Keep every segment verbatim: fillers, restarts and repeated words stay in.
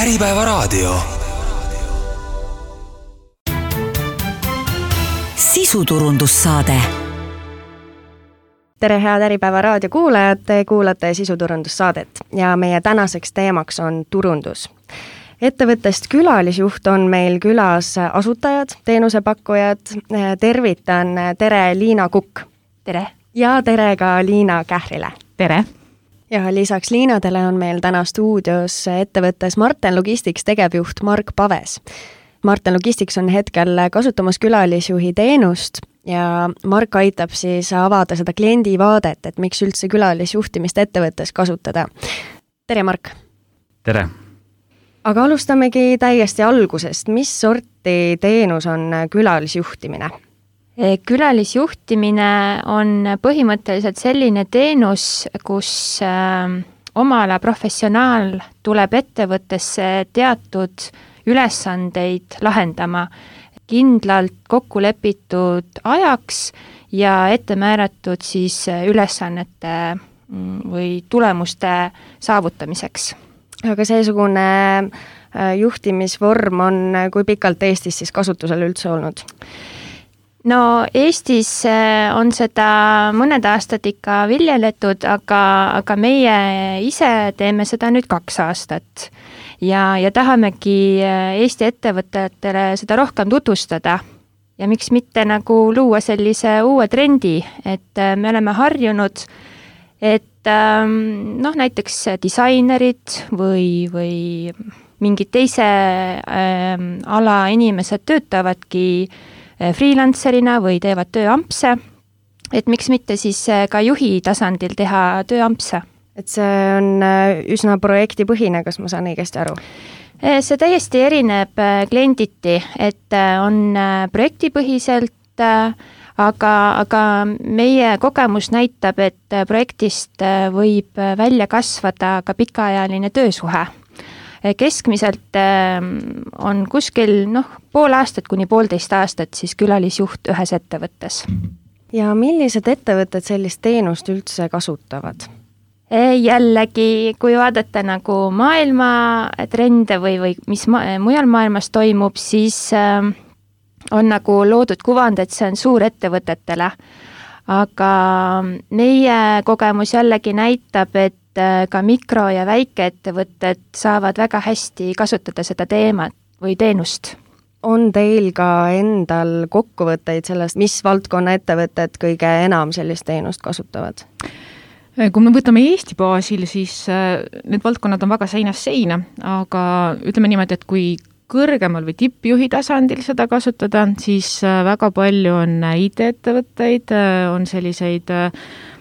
Äripäevaraadio. Sisuturundussaade. Tere, head Äripäevaraadio kuulajad, te kuulate sisuturundussaadet ja meie tänaseks teemaks on turundus. Ettevõttest külalisjuht on meil külas asutajad, teenusepakkujad. Tervitan, tere Liina Kukk. Tere. Ja tere ka Liina Kährile. Tere. Ja lisaks Liinadele on meil täna stuudios ettevõttes Marten Logistics tegevjuht Mark Paves. Marten Logistics on hetkel kasutamas külalisjuhi teenust ja Mark aitab siis avada seda kliendi vaadet, et miks üldse külalisjuhtimist ettevõttes kasutada. Tere, Mark! Tere! Aga alustamegi täiesti algusest. Mis sorti teenus on külalisjuhtimine? Külalisjuhtimine on põhimõtteliselt selline teenus, kus oma ala professionaal tuleb ettevõttesse teatud ülesandeid lahendama kindlalt kokku lepitud ajaks ja ette määratud siis ülesannete või tulemuste saavutamiseks. Aga seesugune juhtimisvorm on kui pikalt Eestis siis kasutusel üldse olnud? No Eestis on seda mõned aastad ikka viljeletud, aga, aga meie ise teeme seda nüüd kaks aastat. Ja, ja tahamegi Eesti ettevõtetele seda rohkem tutvustada ja miks mitte nagu luua sellise uue trendi, et me oleme harjunud, et noh, näiteks disainerid või, või mingid teise äh, ala inimesed töötavadki freelancerina või teevad tööampse, et miks mitte siis ka juhi tasandil teha tööampse. Et see on üsna projektipõhine, kas ma saan õigesti aru? See täiesti erineb klienditi, et on projektipõhiselt, aga, aga meie kogemus näitab, et projektist võib välja kasvada ka pikaajaline töösuhe. Keskmiselt on kuskil noh, pool aastat kuni poolteist aastat siis külalisjuht ühes ettevõttes. Ja millised ettevõtted sellist teenust üldse kasutavad? Jällegi, kui vaadata nagu maailma trende või, või mis ma, mujal maailmas toimub, siis on nagu loodud kuvand, et see on suurettevõtetele. Aga meie kogemus jällegi näitab, et ka mikro- ja väikeettevõtted saavad väga hästi kasutada seda teemat või teenust. On teil ka endal kokkuvõtteid sellest, mis valdkonna ettevõtted kõige enam sellist teenust kasutavad? Kui me võtame Eesti baasil, siis need valdkonnad on väga seinast seina, aga ütleme niimoodi, et kui kõrgemal või tippjuhi tasandil seda kasutada, siis väga palju on I T-ettevõtteid, on selliseid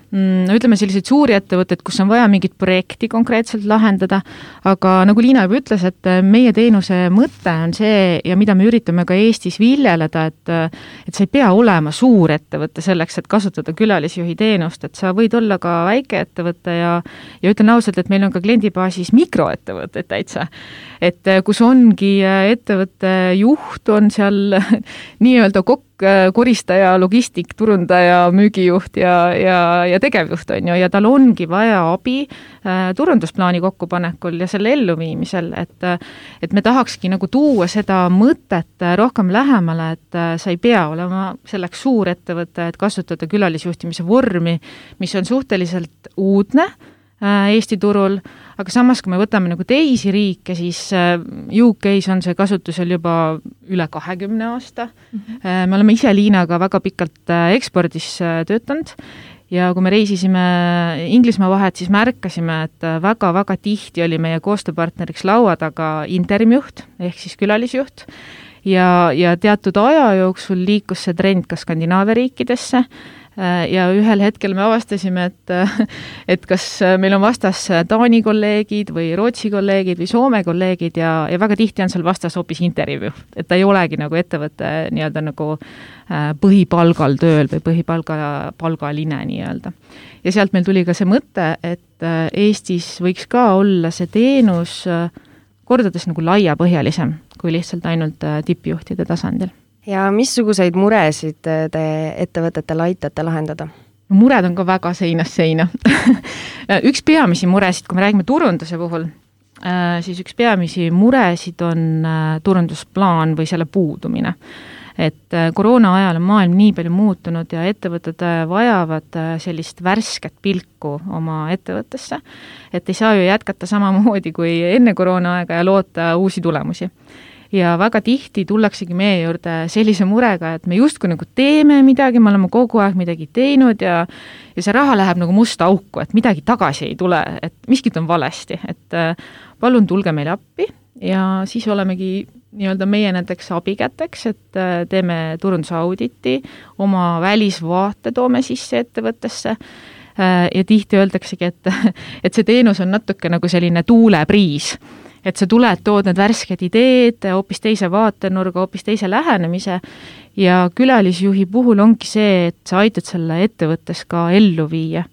no ütleme selliseid suuri ettevõtteid, kus on vaja mingit projekti konkreetselt lahendada, aga nagu Liina juba ütles, et meie teenuse mõte on see ja mida me üritame ka Eestis viljeleda, et, et sa ei pea olema suur ettevõte selleks, et kasutada külalisjuhi teenust, et sa võid olla ka väike ettevõte ja, ja ütlen ausalt, et meil on ka kliendibaasis mikroettevõtted täitsa, et kus ongi ettevõtte juht on seal nii-öelda kokk, koristaja, logistik, turundaja, müügijuht ja, ja, ja tegevjuht on ju, ja tal ongi vaja abi äh, turundusplaani kokkupanekul ja selle elluviimisel, et, et me tahakski nagu tuua seda mõtet rohkem lähemale, et äh, sa ei pea olema selleks suur ettevõte, et kasutada külalisjuhtimise vormi, mis on suhteliselt uudne äh, Eesti turul, aga samas, kui me võtame nagu teisi riike, siis U K-s on see kasutusel juba üle kahekümne aasta. Mm-hmm. Me oleme ise Liinaga väga pikalt ekspordis töötanud ja kui me reisisime Inglismaa vahet, siis märkasime, et väga-väga tihti oli meie koostööpartneriks laua taga interimjuht ehk siis külalisjuht ja, ja teatud aja jooksul liikus see trend ka Skandinaavia riikidesse ja ühel hetkel me avastasime, et, et kas meil on vastas Taani kolleegid või Rootsi kolleegid või Soome kolleegid ja, ja väga tihti on seal vastas hoopis intervjuu, et ta ei olegi nagu ettevõtte nii-öelda nagu põhipalgal tööl või põhipalga, palgaline nii-öelda. Ja sealt meil tuli ka see mõte, et Eestis võiks ka olla see teenus kordades nagu laiapõhjalisem kui lihtsalt ainult tippjuhtide tasandil. Ja missuguseid muresid te ettevõtetel aitate lahendada? Mured on ka väga seinast seina. Üks peamisi muresid, kui me räägime turunduse puhul, siis üks peamisi muresid on turundusplaan või selle puudumine. Et koroona ajal on maailm nii palju muutunud ja ettevõtted vajavad sellist värsket pilku oma ettevõttesse, et ei saa ju jätkata samamoodi kui enne koroona aega ja loota uusi tulemusi. Ja väga tihti tullaksegi meie juurde sellise murega, et me justkui nagu teeme midagi, me oleme kogu aeg midagi teinud ja, ja see raha läheb nagu musta auku, et midagi tagasi ei tule, et miskit on valesti, et palun tulge meile appi ja siis olemegi nii-öelda meie nendeks abikäteks, et teeme turundusauditi, oma välisvaate toome sisse ettevõttesse ja tihti öeldaksegi, et, et see teenus on natuke nagu selline tuulepriis, et sa tuled, tood need värsked ideed, hoopis teise vaatenurga, hoopis teise lähenemise ja külalisjuhi puhul ongi see, et sa aitad selle ettevõttes ka ellu viia.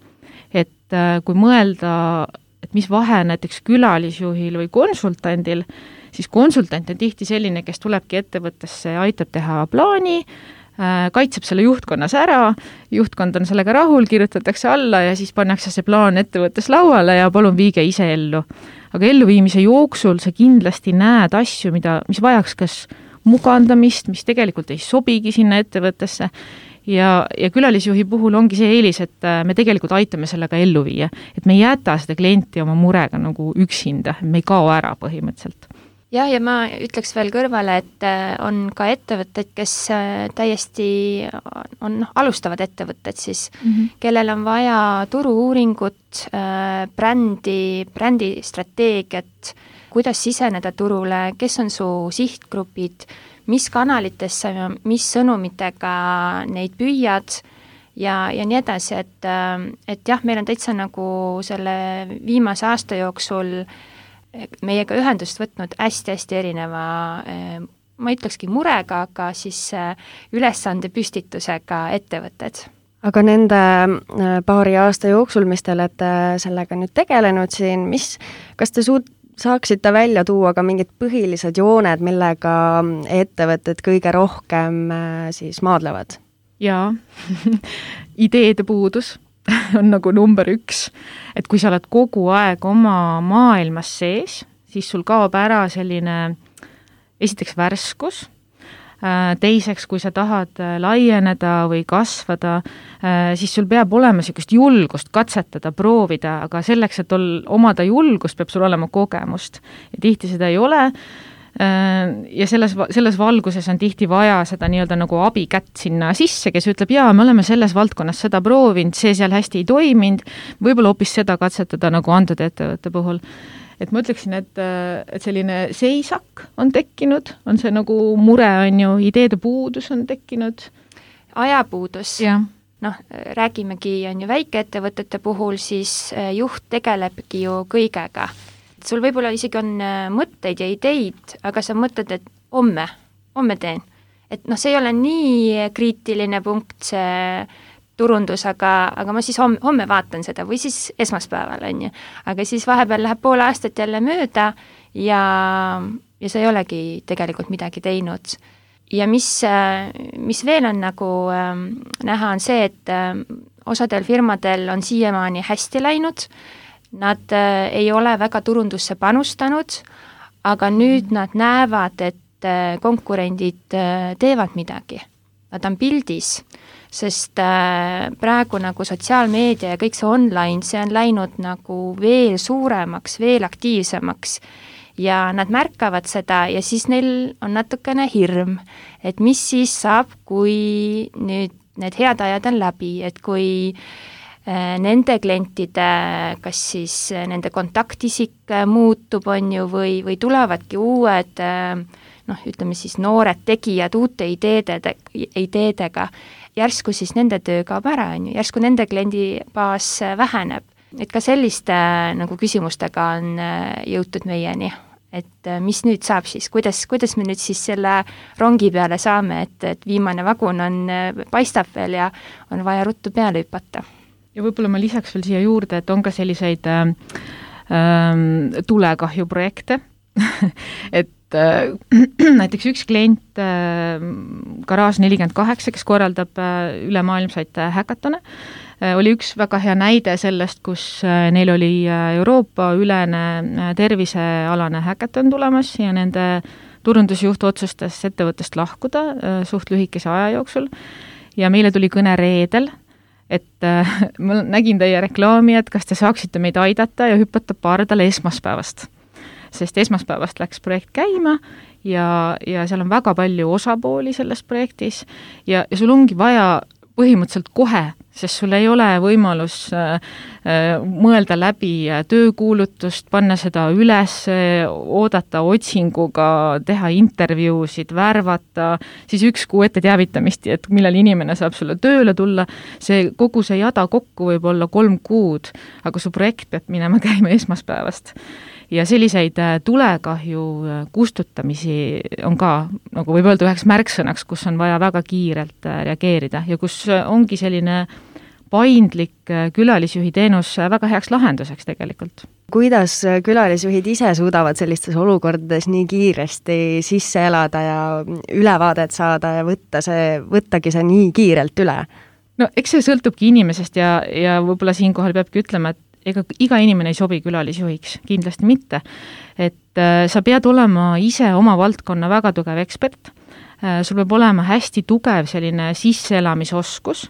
Et kui mõelda, et mis vahe näiteks külalisjuhil või konsultandil, siis konsultant on tihti selline, kes tulebki ettevõttesse ja aitab teha plaani, kaitseb selle juhtkonnas ära, juhtkond on sellega rahul, kirjutatakse alla ja siis pannakse see plaan ettevõttes lauale ja palun viige ise ellu. Aga elluviimise jooksul sa kindlasti näed asju, mida, mis vajaks kas mugandamist, mis tegelikult ei sobigi sinna ettevõttesse ja, ja külalisjuhi puhul ongi see eelis, et me tegelikult aitame sellega ellu viia, et me ei jäta seda klienti oma murega nagu üksinda, me ei kao ära põhimõtteliselt. Jah, ja ma ütleks veel kõrvale, et on ka ettevõtted, kes täiesti on alustavad ettevõtted siis, mm-hmm. kellel on vaja turu-uuringut, brändi, brändistrateegiat, kuidas siseneda turule, kes on su sihtgrupid, mis kanalitesse, mis sõnumitega neid püüad ja, ja nii edasi, et, et jah, meil on täitsa nagu selle viimase aasta jooksul meiega ühendust võtnud hästi-hästi erineva, ma ütlekski murega, aga siis ülesande püstitusega ettevõtted. Aga nende paari aasta jooksul, mis te olete sellega nüüd tegelenud siin, mis, kas te suud, saaksite välja tuua ka mingid põhilised jooned, millega ettevõtted kõige rohkem siis maadlevad? Jaa, ideede puudus on nagu number üks, et kui sa oled kogu aeg oma maailmas sees, siis sul kaob ära selline esiteks värskus, teiseks, kui sa tahad laieneda või kasvada, siis sul peab olema sellist julgust katsetada, proovida, aga selleks, et ol, omada julgust, peab sul olema kogemust ja tihti seda ei ole. Ja selles, selles valguses on tihti vaja seda nii-öelda nagu abikätt sinna sisse, kes ütleb, jaa, me oleme selles valdkonnas seda proovinud, see seal hästi ei toiminud, võib-olla hoopis seda katsetada nagu antud ettevõtte puhul. Et ma ütleksin, et, et selline seisak on tekkinud, on see nagu mure on ju, ideede puudus on tekkinud. Ajapuudus. Jah. Noh, räägimegi on ju väikeettevõtete puhul, siis juht tegelebki ju kõigega. Sul võib-olla isegi on mõtteid ja ideid, aga sa mõtled, et homme, homme teen. Et noh, see ei ole nii kriitiline punkt, see turundus, aga, aga ma siis homme, homme vaatan seda või siis esmaspäeval on ju. Aga siis vahepeal läheb pool aastat jälle mööda ja, ja sa ei olegi tegelikult midagi teinud. Ja mis, mis veel on nagu äh, näha on see, et äh, osadel firmadel on siiamaani hästi läinud. Nad äh, ei ole väga turundusse panustanud, aga nüüd nad näevad, et äh, konkurendid äh, teevad midagi. Nad on pildis, sest äh, praegu nagu sotsiaalmeedia ja kõik see online, see on läinud nagu veel suuremaks, veel aktiivsemaks ja nad märkavad seda ja siis neil on natukene hirm, et mis siis saab, kui nüüd need head ajad on läbi, et kui nende klientide, kas siis nende kontaktisik muutub, on ju, või, või tulevadki uued, noh, ütleme siis noored tegijad uute ideede, ideedega, järsku siis nende töö kaob ära, on ju, järsku nende kliendibaas väheneb. Et ka selliste nagu küsimustega on jõutud meieni, et mis nüüd saab siis, kuidas, kuidas me nüüd siis selle rongi peale saame, et, et viimane vagun on, paistab veel ja on vaja ruttu peale hüpata. Ja võib-olla ma lisaks veel siia juurde, et on ka selliseid äh, tulekahjuprojekte, et äh, näiteks üks klient äh, Garage nelikümmend kaheksa, kes korraldab äh, ülemaailmsaid häkatone, oli üks väga hea näide sellest, kus neil oli Euroopa ülene tervisealane häkaton tulemas ja nende turundusjuht otsustas ettevõttest lahkuda suht lühikese aja jooksul ja meile tuli kõne reedel, et ma nägin teie reklaami, et kas te saaksite meid aidata ja hüpata pardale esmaspäevast. Sest esmaspäevast läks projekt käima ja, ja seal on väga palju osapooli selles projektis ja, ja sul ongi vaja põhimõtteliselt kohe, sest sul ei ole võimalus äh, mõelda läbi töökuulutust, panna seda üles, oodata otsinguga, teha intervjuusid, värvata, siis üks kuu ette teavitamist, et millal inimene saab sulle tööle tulla, see kogu see jada kokku võib olla kolm kuud, aga su projekt peab minema käima esmaspäevast. Ja selliseid tulekahju kustutamisi on ka, nagu võib öelda üheks märksõnaks, kus on vaja väga kiirelt reageerida ja kus ongi selline paindlik külalisjuhi teenus väga heaks lahenduseks tegelikult. Kuidas külalisjuhid ise suudavad sellistes olukordades nii kiiresti sisse elada ja ülevaadet saada ja võtta see, võttagi see nii kiirelt üle? No eks see sõltubki inimesest ja, ja võib-olla siinkohal peabki ütlema, et ega iga inimene ei sobi külalisjuhiks, kindlasti mitte. Et äh, sa pead olema ise oma valdkonna väga tugev ekspert, äh, sul peab olema hästi tugev selline sisseelamisoskus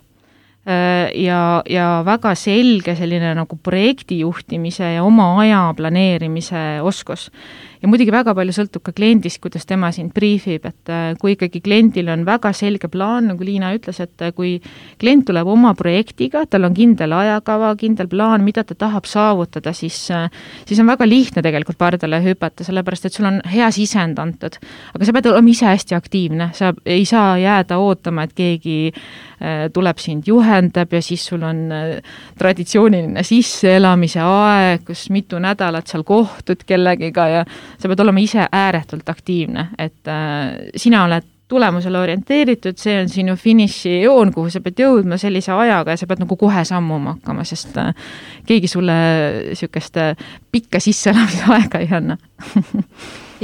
äh, ja, ja väga selge selline nagu projektijuhtimise ja oma aja planeerimise oskus. Ja muidugi väga palju sõltub ka kliendist, kuidas tema sind briefib, et kui ikkagi kliendil on väga selge plaan, nagu Liina ütles, et kui klient tuleb oma projektiga, tal on kindel ajakava, kindel plaan, mida ta tahab saavutada, siis, siis on väga lihtne tegelikult pardale hüpata, sellepärast, et sul on hea sisend antud. Aga sa pead olema ise hästi aktiivne, sa ei saa jääda ootama, et keegi tuleb sind juhendab ja siis sul on traditsiooniline sisseelamise aeg, kus mitu nädalat seal kohtud kellegiga ja sa pead olema ise ääretult aktiivne, et äh, sina oled tulemusele orienteeritud, see on sinu finiši joon, kuhu sa pead jõudma sellise ajaga ja sa pead nagu kohe sammuma hakkama, sest äh, keegi sulle sükest pikka sisseelamise aega ei anna.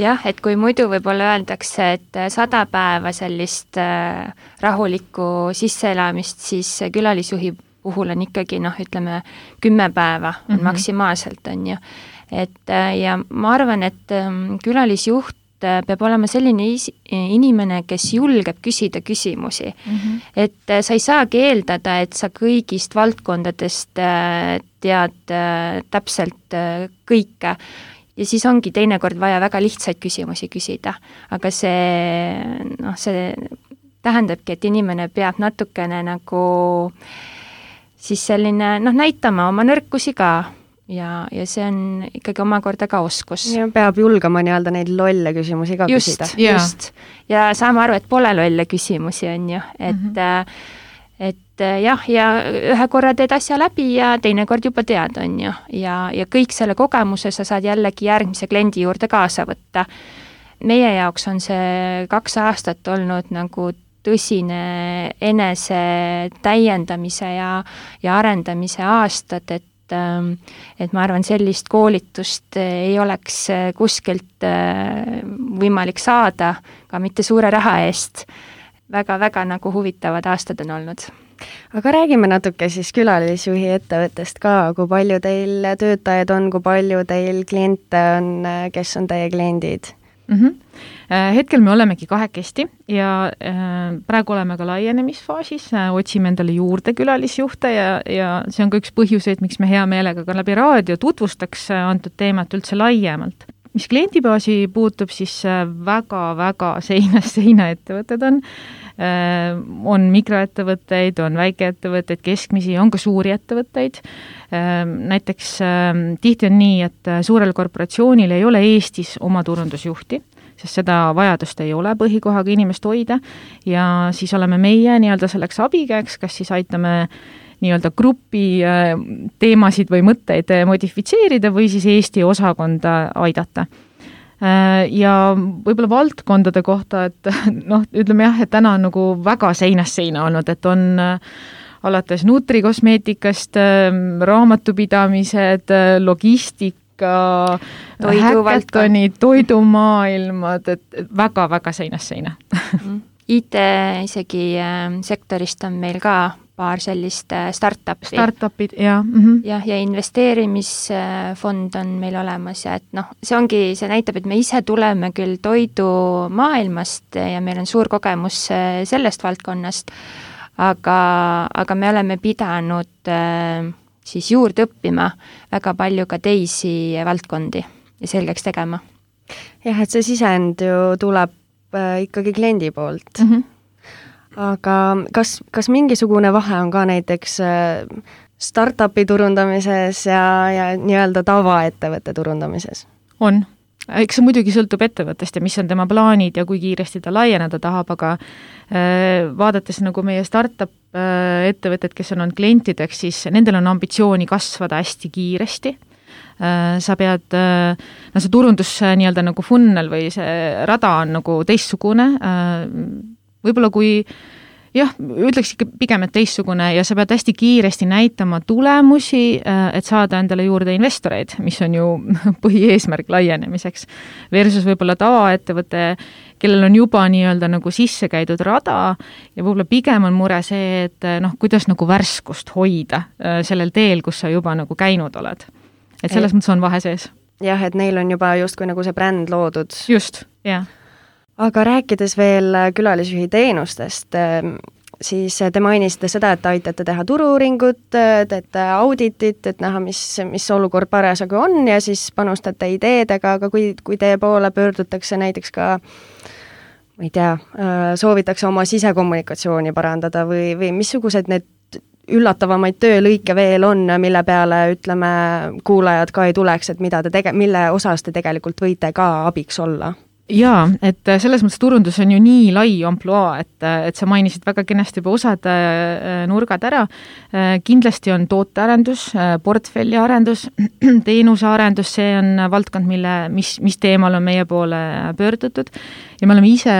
Jah, et kui muidu võib-olla öeldakse, et sada päeva sellist äh, rahulikku sisseelamist, siis külalisjuhi puhul on ikkagi, noh, ütleme, kümme päeva on mm-hmm. maksimaalselt, on ju. Et ja ma arvan, et külalisjuht peab olema selline inimene, kes julgeb küsida küsimusi. Mm-hmm. Et sa ei saagi eeldada, et sa kõigist valdkondadest tead täpselt kõike. Ja siis ongi teinekord vaja väga lihtsaid küsimusi küsida. Aga see, noh, see tähendabki, et inimene peab natukene nagu siis selline, noh, näitama oma nõrkusi ka. Ja, ja see on ikkagi omakorda ka oskus. Ja peab julgema nii-öelda neid lolle küsimusi ka just, küsida. Yeah. Just, ja saame aru, et pole lolle küsimusi on ju, et, mm-hmm. et jah, ja ühe korra teed asja läbi ja teine kord juba tead on ju, ja, ja kõik selle kogemuse sa saad jällegi järgmise kliendi juurde kaasa võtta. Meie jaoks on see kaks aastat olnud nagu tõsine enese täiendamise ja, ja arendamise aastad, et et ma arvan, sellist koolitust ei oleks kuskilt võimalik saada, ka mitte suure raha eest. Väga-väga nagu huvitavad aastad on olnud. Aga räägime natuke siis külalisjuhi ettevõttest ka, kui palju teil töötajaid on, kui palju teil kliente on, kes on teie kliendid? Mm-hmm. Hetkel me olemegi kahekesti ja praegu oleme ka laienemisfaasis, otsime endale juurde külalisjuhte ja, ja see on ka üks põhjuseid, miks me hea meelega ka läbi raadio tutvustaks antud teemat üldse laiemalt. Mis kliendibaasi puutub, siis väga-väga seinast seina ettevõtted on. On mikroettevõtteid, on väikeettevõtteid, keskmisi, on ka suuri ettevõtteid. Näiteks tihti on nii, et suurel korporatsioonil ei ole Eestis oma turundusjuhti, sest seda vajadust ei ole põhikohaga inimest hoida ja siis oleme meie nii-öelda selleks abikäeks, kas siis aitame nii-öelda grupi teemasid või mõtteid modifitseerida või siis Eesti osakonda aidata. Ja võib-olla valdkondade kohta, et noh, ütleme jah, et täna on nagu väga seinast seina olnud, et on alates nutrikosmeetikast, raamatupidamised, logistik, häkatoni, toidumaailmad, et väga-väga seinast seina. I T isegi sektorist on meil ka paar sellist startupi. Startupid, jah. Mm-hmm. jah, ja investeerimisfond on meil olemas ja et noh, see ongi, see näitab, et me ise tuleme küll toidumaailmast ja meil on suur kogemus sellest valdkonnast, aga, aga me oleme pidanud siis juurde õppima väga palju ka teisi valdkondi ja selgeks tegema. Jah, et see sisend ju tuleb ikkagi kliendi poolt. Mm-hmm. Aga kas, kas mingisugune vahe on ka näiteks startupi turundamises ja, ja nii-öelda tavaettevõtte turundamises? On. Eks see muidugi sõltub ettevõttest ja mis on tema plaanid ja kui kiiresti ta laieneda tahab, aga äh, vaadates nagu meie startup äh, ettevõtted, kes on olnud klientideks, siis nendel on ambitsiooni kasvada hästi kiiresti. Äh, sa pead, äh, no see turundus äh, nii-öelda nagu funnel või see rada on nagu teistsugune, äh, võib-olla kui jah, ütleks ikka pigem, et teistsugune ja sa pead hästi kiiresti näitama tulemusi, et saada endale juurde investoreid, mis on ju põhieesmärk laienemiseks. Versus võib-olla tavaettevõte, kellel on juba nii-öelda nagu sisse käidud rada ja võib-olla pigem on mure see, et noh, kuidas nagu värskust hoida sellel teel, kus sa juba nagu käinud oled. Et selles mõttes on vahe sees. Jah, et neil on juba justkui nagu see bränd loodud. Just, jah. Aga rääkides veel külalisjuhi teenustest, siis te mainisite seda, et aitate teha turu-uuringut, teete auditit, et näha, mis, mis olukord parasjagu on ja siis panustate ideedega, aga kui, kui teie poole pöördutakse näiteks ka, ma ei tea, soovitakse oma sisekommunikatsiooni parandada või, või missugused need üllatavamaid töölõike veel on, mille peale, ütleme, kuulajad ka ei tuleks, et mida te tege-, mille osas te tegelikult võite ka abiks olla? Jaa, et selles mõttes turundus on ju nii lai ampluaa, et, et sa mainisid väga kenasti juba osad nurgad ära. Kindlasti on tootearendus, portfelliarendus, teenusearendus, see on valdkond, mille, mis, mis teemal on meie poole pöördutud ja me oleme ise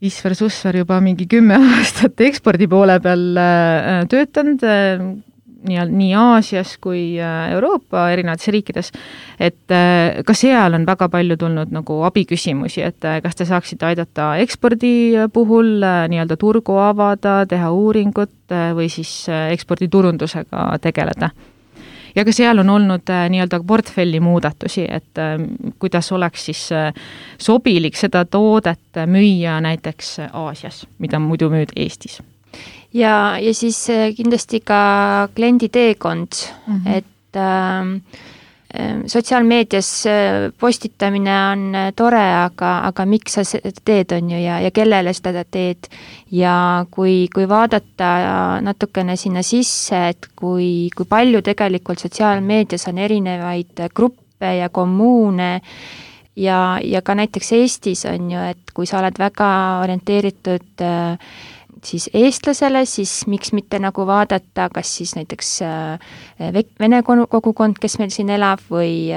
Isver Susver juba mingi kümme aastat ekspordi poole peal töötanud, nii, nii Aasias kui Euroopa erinevates riikides, et ka seal on väga palju tulnud nagu abiküsimusi, et kas te saaksite aidata ekspordi puhul nii-öelda turgu avada, teha uuringut või siis eksporditurundusega tegeleda. Ja ka seal on olnud nii-öelda portfelli muudatusi, et kuidas oleks siis sobilik seda toodet müüa näiteks Aasias, mida muidu müüd Eestis. Ja, ja siis kindlasti ka kliendi teekond, mm-hmm. et äh, sotsiaalmeedias postitamine on tore, aga, aga miks sa seda teed on ju ja, ja kellele seda teed ja kui, kui vaadata natukene sinna sisse, et kui, kui palju tegelikult sotsiaalmeedias on erinevaid gruppe ja kommuune ja, ja ka näiteks Eestis on ju, et kui sa oled väga orienteeritud äh, siis eestlasele, siis miks mitte nagu vaadata, kas siis näiteks vene kogukond, kes meil siin elab või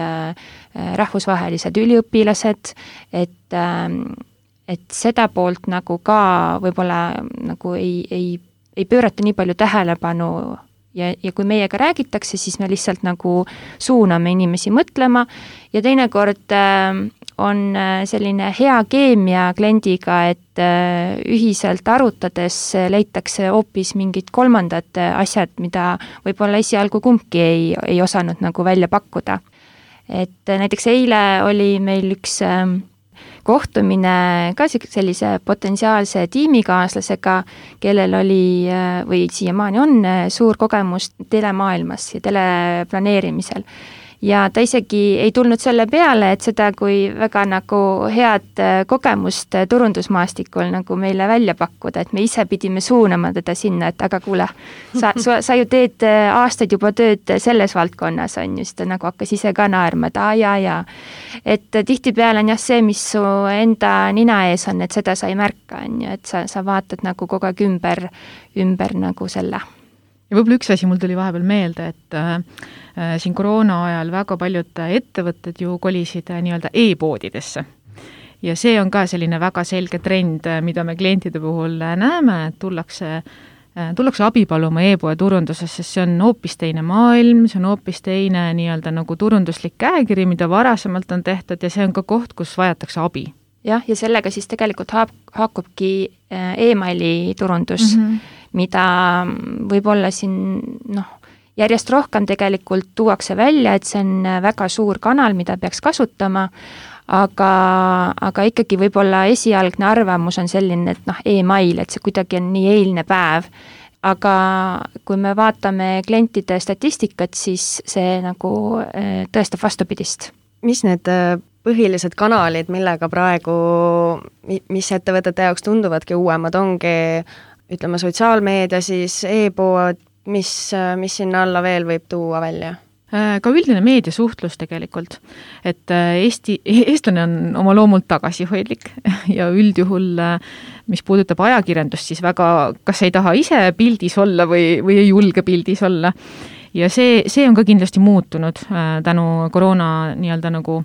rahvusvahelised üliõpilased, et, et seda poolt nagu ka võib-olla nagu ei, ei, ei pöörata nii palju tähelepanu ja, ja kui meiega räägitakse, siis me lihtsalt nagu suuname inimesi mõtlema ja teinekord on selline hea keemia kliendiga, et ühiselt arutades leitakse hoopis mingid kolmandad asjad, mida võib-olla esialgu kumbki ei, ei osanud nagu välja pakkuda. Et näiteks eile oli meil üks kohtumine ka sellise potentsiaalse tiimikaaslasega, kellel oli või siiamaani on suur kogemus telemaailmas ja teleplaneerimisel. Ja ta isegi ei tulnud selle peale, et seda kui väga nagu head kogemust turundusmaastikul nagu meile välja pakkuda, et me ise pidime suunama teda sinna, et aga kuule, sa, sa, sa ju teed aastaid juba tööd selles valdkonnas, on just, ta nagu hakkas ise ka naerma, et aa, ja, ja. Et tihtipeale on jah see, mis su enda nina ees on, et seda sa ei märka, on ju, et sa, sa vaatad nagu kogu aeg ümber, ümber nagu selle. Ja võib-olla üks asi mul tuli vahepeal meelde, et äh, siin koroona ajal väga paljud ettevõtted ju kolisid äh, nii-öelda e-poodidesse. Ja see on ka selline väga selge trend, mida me klientide puhul näeme, et tullakse, äh, tullakse abi paluma e-poe turunduses, sest see on hoopis teine maailm, see on hoopis teine nii-öelda nagu turunduslik käekiri, mida varasemalt on tehtud ja see on ka koht, kus vajatakse abi. Jah, ja sellega siis tegelikult haak, haakubki e-maili turundus, mm-hmm. mida võib-olla siin noh, järjest rohkem tegelikult tuuakse välja, et see on väga suur kanal, mida peaks kasutama, aga, aga ikkagi võib-olla esialgne arvamus on selline, et noh, e-mail, et see kuidagi on nii eilne päev. Aga kui me vaatame klientide statistikat, siis see nagu tõestab vastupidist. Mis need põhilised kanalid, millega praegu, mis ettevõtete jaoks tunduvadki uuemad, ongi ütleme sotsiaalmeedia, siis e-pood, mis, mis sinna alla veel võib tuua välja? Ka üldine meediasuhtlus tegelikult, et Eesti, eestlane on oma loomult tagasihoidlik ja üldjuhul, mis puudutab ajakirjandust, siis väga, kas ei taha ise pildis olla või, või ei julge pildis olla. Ja see, see on ka kindlasti muutunud tänu koroona nii-öelda nagu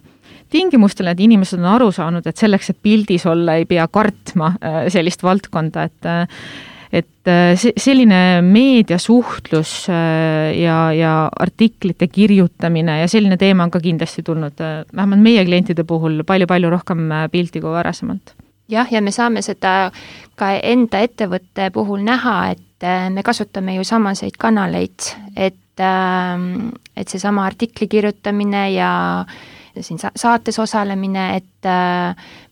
tingimustele, et inimesed on aru saanud, et selleks, et pildis olla, ei pea kartma sellist valdkonda, et et selline meediasuhtlus ja, ja artiklite kirjutamine ja selline teema on ka kindlasti tulnud vähemalt meie klientide puhul palju-palju rohkem pilti kui varasemalt. Jah, ja me saame seda ka enda ettevõtte puhul näha, et me kasutame ju samaseid kanaleid, et, et seesama artikli kirjutamine ja siin saates osalemine, et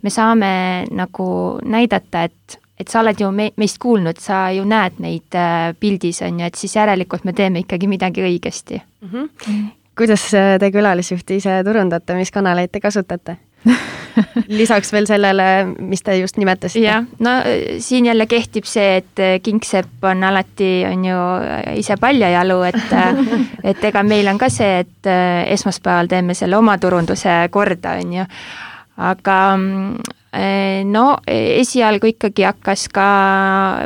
me saame nagu näidata, et et sa oled ju me, meist kuulnud, sa ju näed meid pildis, on ju, et siis järelikult me teeme ikkagi midagi õigesti. Mm-hmm. Mm-hmm. Kuidas te külalisjuhti ise turundate, mis kanaleid te kasutate? Lisaks veel sellele, mis te just nimetasite? Jah, no siin jälle kehtib see, et Kingsepp on alati on ju ise paljajalu, et, et ega meil on ka see, et esmaspäeval teeme selle oma turunduse korda, on ju. Aga no esialgu ikkagi hakkas ka,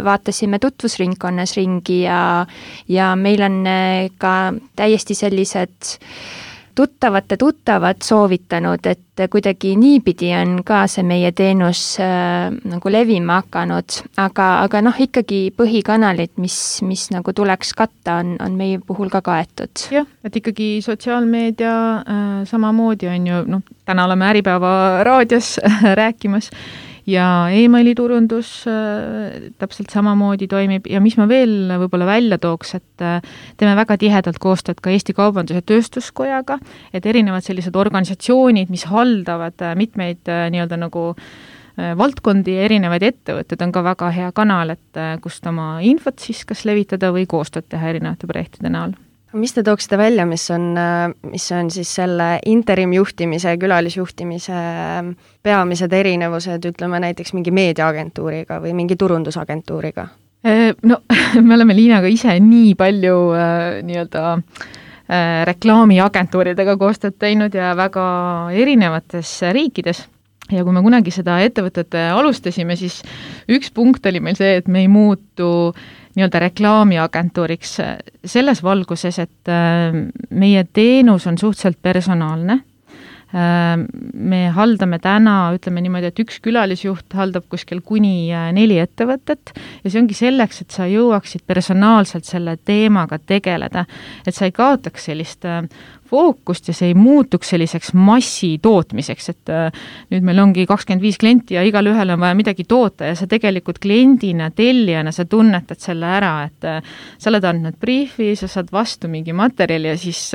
vaatasime tutvusringkonnas ringi ja, ja meil on ka täiesti sellised tuttavate tuttavad soovitanud, et kuidagi niipidi on ka see meie teenus äh, nagu levima hakanud, aga, aga noh, ikkagi põhikanalid, mis, mis nagu tuleks katta, on, on meie puhul ka kaetud. Jah, et ikkagi sotsiaalmeedia äh, samamoodi on ju, noh, täna oleme Äripäeva raadios rääkimas, ja e-maili turundus äh, täpselt samamoodi toimib ja mis ma veel võib-olla välja tooks, et äh, teeme väga tihedalt koostööd ka Eesti Kaubandus- ja Tööstuskojaga, et erinevad sellised organisatsioonid, mis haldavad äh, mitmeid äh, nii-öelda nagu äh, valdkondi ja erinevaid ettevõtted, on ka väga hea kanal, et äh, kust oma infot siis kas levitada või koostööd teha erinevate projektide näol. Mis te tooksite välja, mis on, mis on siis selle interimjuhtimise ja külalisjuhtimise peamised erinevused, ütleme näiteks mingi meediaagentuuriga või mingi turundusagentuuriga? No, me oleme Liinaga ise nii palju nii-öelda reklaamiagentuuridega koostööd teinud ja väga erinevates riikides. Ja kui me kunagi seda ettevõtet alustasime, siis üks punkt oli meil see, et me ei muutu nii-öelda reklaamiagentuuriks selles valguses, et meie teenus on suhteliselt personaalne. Me haldame täna, ütleme niimoodi, et üks külalisjuht haldab kuskil kuni neli ettevõtet ja see ongi selleks, et sa jõuaksid personaalselt selle teemaga tegeleda, et sa ei kaotaks sellist fookust ja see ei muutuks selliseks massitootmiseks, et nüüd meil ongi kakskümmend viis klienti ja igal ühel on vaja midagi toota ja sa tegelikult kliendina, tellijana, sa tunnetad selle ära, et sa oled andnud briefi, sa saad vastu mingi materjali ja siis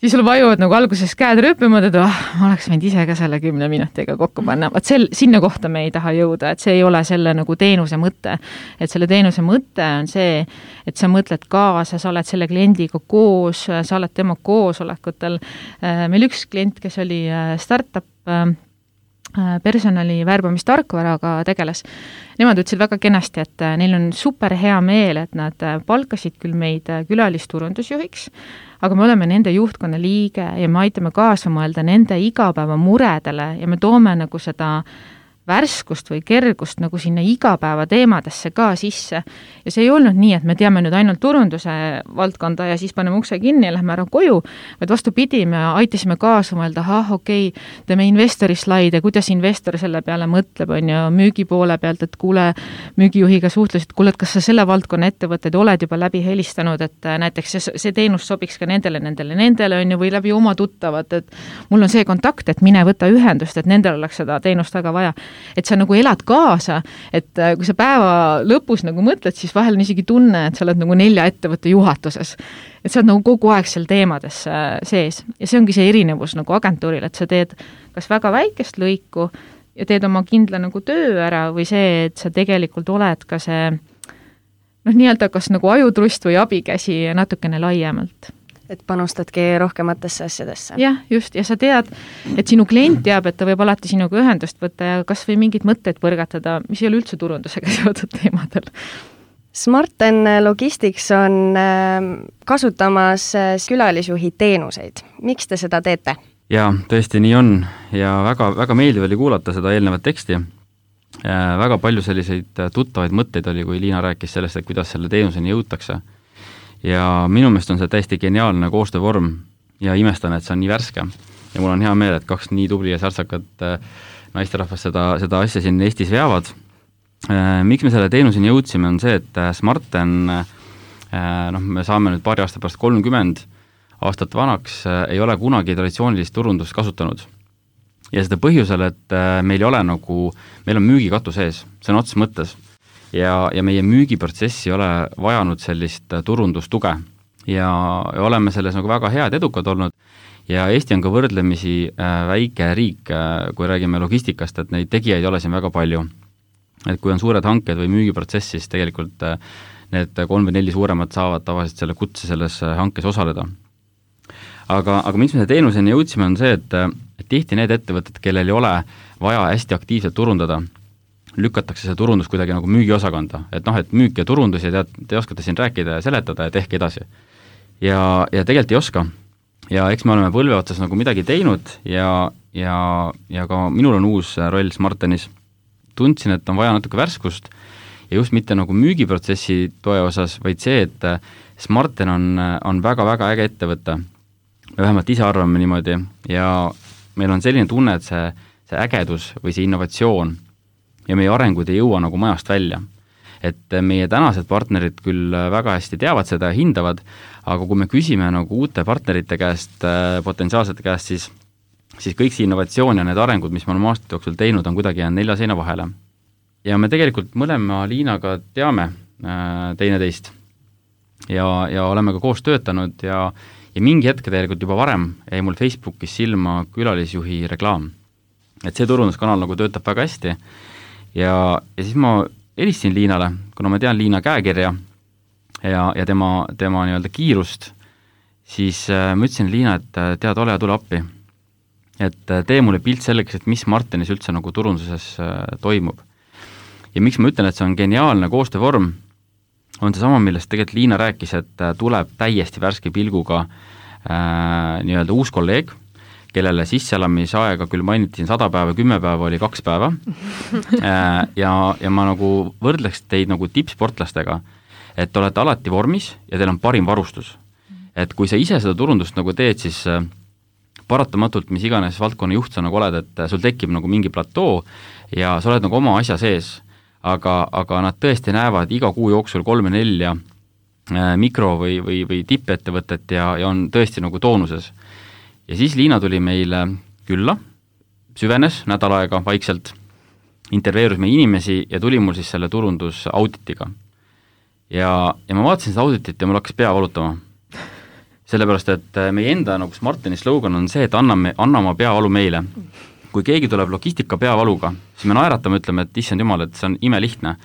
siis sul vajuvad nagu alguses käed rööpimad, et oh, ma oleks võinud ise ka selle kümne minutiga kokku panna. Vaat sel, sinna kohta me ei taha jõuda, et see ei ole selle nagu teenuse mõte. Et selle teenuse mõte on see, et sa mõtled kaasa, sa oled selle kliendiga koos, sa oled tema koosolekutel. Meil üks klient, kes oli startup personali värbamistarkvaraga tegeles. Nemad ütlesid väga kenasti, et neil on super hea meel, et nad palkasid küll meid külalisturundusjuhiks, aga me oleme nende juhtkonna liige ja me aitame kaasa mõelda nende igapäeva muredele ja me toome nagu seda värskust või kergust nagu sinna igapäeva teemadesse ka sisse. Ja see ei olnud nii, et me teame nüüd ainult turunduse valdkonda ja siis paneme ukse kinni ja lähme ära koju, vaid vastupidi, me aitasime kaasa mõelda, ah, okei, okay, teeme investori slaide, kuidas investor selle peale mõtleb, on ju, müügi poole pealt, et kuule, müügijuhiga suhtlesid, kuule, et kas sa selle valdkonna ettevõtted oled juba läbi helistanud, et näiteks see, see teenus sobiks ka nendele, nendele, nendele, on ju, või läbi oma tuttavad, et mul on see kontakt, et mine võta ühendust, et nendel oleks seda teenust väga vaja. et sa nagu elad kaasa, et kui sa päeva lõpus nagu mõtled, siis vahel on isegi tunne, et sa oled nagu nelja ettevõtte juhatuses. Et sa oled nagu kogu aeg seal teemades sees ja see ongi see erinevus nagu agentuuril, et sa teed kas väga väikest lõiku ja teed oma kindla nagu töö ära või see, et sa tegelikult oled ka see noh, nii-öelda kas nagu ajutrust või abikäsi natukene laiemalt. Et panustadki rohkematesse asjadesse. Jah, just, ja sa tead, et sinu klient teab, et ta võib alati sinuga ühendust võtta ja kas või mingid mõtteid põrgatada, mis ei ole üldse turundusega seotud teemadel. Smarten Logistics on kasutamas külalisjuhi teenuseid. Miks te seda teete? Jaa, tõesti nii on ja väga, väga meeldiv oli kuulata seda eelnevat teksti. Väga palju selliseid tuttavaid mõtteid oli, kui Liina rääkis sellest, et kuidas selle teenuseni jõutakse. Ja minu meelest on see täiesti geniaalne koostöövorm ja imestan, et see on nii värske. Ja mul on hea meel, et kaks nii tubli ja särtsakat naisterahvast seda, seda asja siin Eestis veavad. Miks me selle teenuseni jõudsime, on see, et Smarten, noh, me saame nüüd paari aasta pärast kolmkümmend aastat vanaks, ei ole kunagi traditsioonilist turundust kasutanud. Ja seda põhjusel, et meil ei ole nagu, meil on müügikatu sees, see on ots mõttes. Ja, ja meie müügiprotsessi ei ole vajanud sellist turundustuge ja, ja oleme selles nagu väga head edukad olnud ja Eesti on ka võrdlemisi väike riik, kui räägime logistikast, et neid tegijaid ei ole siin väga palju. Et kui on suured hanked või müügiprotsess, siis tegelikult need kolm või neli suuremad saavad tavaliselt selle kutse selles hankes osaleda. Aga, aga miks me see teenuseni jõudsime on see, et, et tihti need ettevõtted, kellel ei ole vaja hästi aktiivselt turundada, lükatakse see turundus kuidagi nagu müügiosakonda, et noh, et müük ja turundus ja tead, te oskate siin rääkida ja seletada ja tehke edasi. Ja, ja tegelikult ei oska. Ja eks me oleme põlve otsas nagu midagi teinud ja, ja, ja ka minul on uus roll Smartenis. Tundsin, et on vaja natuke värskust ja just mitte nagu müügiprotsessi toe osas, vaid see, et Smarten on, on väga-väga äge ettevõte. Me vähemalt ise arvame niimoodi ja meil on selline tunne, et see, see ägedus või see innovatsioon ja meie arengud ei jõua nagu majast välja. Et meie tänased partnerid küll väga hästi teavad seda ja hindavad, aga kui me küsime nagu uute partnerite käest, potentsiaalsete käest, siis, siis kõik see innovatsioon ja need arengud, mis me oleme aastate jooksul teinud, on kuidagi jäänud nelja seina vahele. Ja me tegelikult mõlema Liinaga teame äh, teineteist ja, ja oleme ka koos töötanud ja, ja mingi hetk tegelikult juba varem jäi mul Facebookis silma külalisjuhi reklaam. Et see turunduskanal nagu töötab väga hästi. Ja, ja siis ma helistasin Liinale, kuna ma tean Liina käekirja ja, ja tema, tema nii-öelda kiirust, siis äh, ma ütlesin Liina, et tead, ole ja tule appi. Et tee mulle pilt selleks, et mis Smartenis üldse nagu turunduses äh, toimub. Ja miks ma ütlen, et see on geniaalne koostöövorm, on see sama, millest tegelikult Liina rääkis, et tuleb täiesti värske pilguga äh, nii-öelda uus kolleeg, kellele sisseelamisaega küll mainiti sada päeva, kümme päeva oli kaks päeva ja, ja ma nagu võrdleks teid nagu tippsportlastega, et olete alati vormis ja teil on parim varustus. Et kui sa ise seda turundust nagu teed, siis paratamatult, mis iganes valdkonna juht sa nagu oled, et sul tekib nagu mingi platoo ja sa oled nagu oma asja sees, aga, aga nad tõesti näevad iga kuu jooksul kolme nelja mikro- või, või, või tippettevõtet ja, ja on tõesti nagu toonuses. Ja siis Liina tuli meile külla, süvenes nädal aega vaikselt, intervjueerus meie inimesi ja tuli mul siis selle turundusauditiga. Ja, ja ma vaatasin seda auditit ja mul hakkas pea valutama. Sellepärast, et meie enda nagu Smarteni slogan on see, et anname, anname peavalu meile. Kui keegi tuleb logistika peavaluga, siis me naeratame, ütleme, et issand jumal, et see on imelihtne.